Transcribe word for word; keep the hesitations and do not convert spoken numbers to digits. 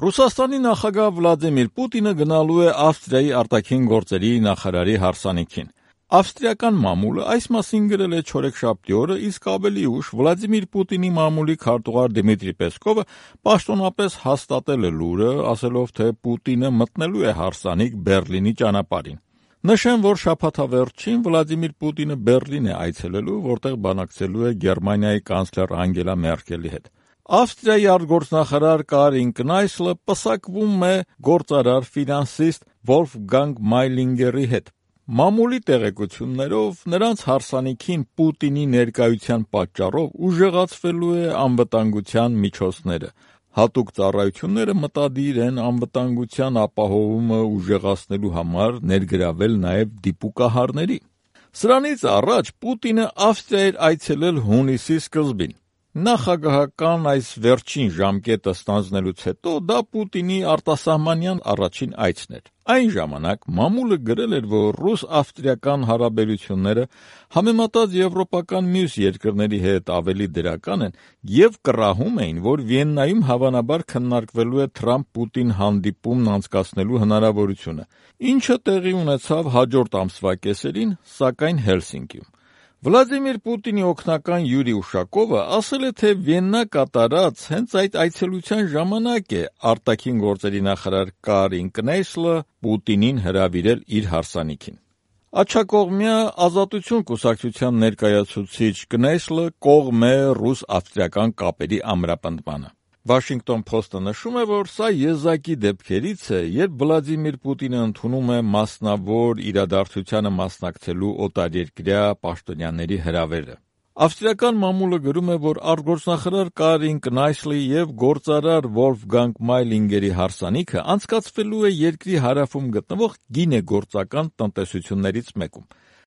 Ռուսաստանի նախագահ Վլադիմիր Պուտինը գնալու է Ավստրիայի արտաքին գործերի նախարարի հարսանիքին։ Ավստրիական մամուլը այս մասին գրել է չորեքշաբթի օրը, իսկ ավելի ուշ Վլադիմիր Պուտինի մամուլի քարտուղար Դմիտրի Պեսկովը պաշտոնապես հաստատել է լուրը, ասելով, թե Պուտինը մտնելու է հարսանիք Բեռլինի ճանապարհին։ Նշեմ, որ շաբաթավերջին Վլադիմիր Պուտինը Բեռլին է այցելելու, որտեղ բանակցելու է Գերմանիայի կանցլեր Անգելա Մերկելի հետ։ Ավստրիայի արտգործնախարար Կարին Կնայսլը պսակվում է գործարար ֆինանսիստ Վոլֆգանգ Մայլինգերի հետ։ Մամուլի տեղեկություններով նրանց հարսանիքին Պուտինի ներկայության պատճառով ուժեղացվելու է անվտանգության միջոցները։ Հատուկ ծառայությունները մտադիր են անվտանգության ապահովումը ուժեղացնելու համար ներգրավել նաև դիպուկահարների։ Սրանից առաջ Պուտինը Ավստրիա էր այցելել հունիսի սկզբին։ Նախագահական այս վերջին ժամկետը ստանձնելուց հետո դա Պուտինի արտասահմանյան առաջին այցն էր։ Այն ժամանակ մամուլը գրել էր, որ ռուս-ավստրիական հարաբերությունները համեմատած եվրոպական մյուս երկրների հետ ավելի դրական են և կռահում էին, որ Վիեննայում հավանաբար քննարկվելու է Թրամփ-Պուտին հանդիպումն անցկացնելու հնարավորությունը, ինչը տեղի ունեցավ հաջորդ ամսվա կեսերին, սակայն Հելսինկիում։ Վլադիմիր Պուտինի օգնական Յուրի Ուշակովը ասել է, թե Վիեննա կատարած հենց այդ այցելության ժամանակ է արտաքին գործերի նախարար Կարին Կնայսլը Պուտինին հրավիրել իր հարսանիքին։ Աջակողմյա Ազատություն կուսակցության ներկայացուցիչ Կնայսլը կողմ է ռուս-ավստրիական կապերի ամրապնդմանը։ Washington Post-ը նշում է, որ սա եզակի դեպքերից է, երբ Վլադիմիր Պուտինը ընդունում է մասնավոր իրադարձությանը մասնակցելու օտարերկրյա պաշտոնյաների հրավերը։ Ավստրիական մամուլը գրում է, որ արտգործնախարար Կարին Կնայսլի և գործարար Վոլֆգանգ Մայլինգերի հարսանիքը անցկացվելու է երկրի հարավում գտնվող գինեգործական տնտեսություններից մեկում։